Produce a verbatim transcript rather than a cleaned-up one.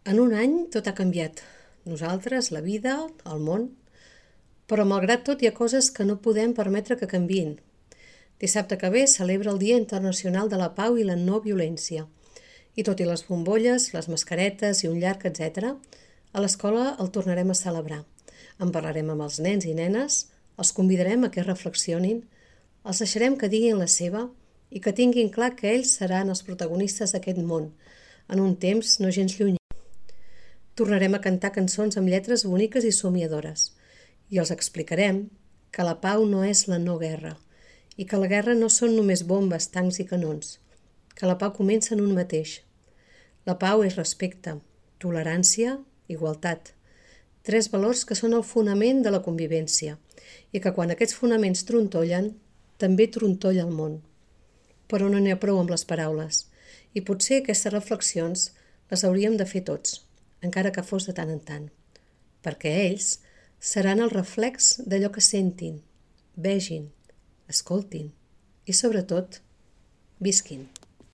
En un any tot ha canviat. Nosaltres, la vida, el món. Però malgrat tot hi ha coses que no podem permetre que canviïn. Dissabte que ve celebra el Dia Internacional de la Pau i la No Violència. I tot i les bombolles, les mascaretes i un llarg etcètera, a l'escola el tornarem a celebrar. En parlarem amb els nens i nenes, els convidarem a que reflexionin, els deixarem que diguin la seva i que tinguin clar que ells seran els protagonistes d'aquest món, en un temps no gens llunyà. Tornarem a cantar cançons amb lletres boniques i somiadores i els explicarem que la pau no és la no guerra i que la guerra no són només bombes, tancs i canons, que la pau comença en un mateix. La pau és respecte, tolerància, igualtat, tres valors que són el fonament de la convivència i que quan aquests fonaments trontollen, també trontolla el món. Però no n'hi ha prou amb les paraules i potser aquestes reflexions les hauríem de fer tots, encara que fos de tant en tant, perquè ells seran el reflex d'allò que sentin, vegin, escoltin i, sobretot, visquin.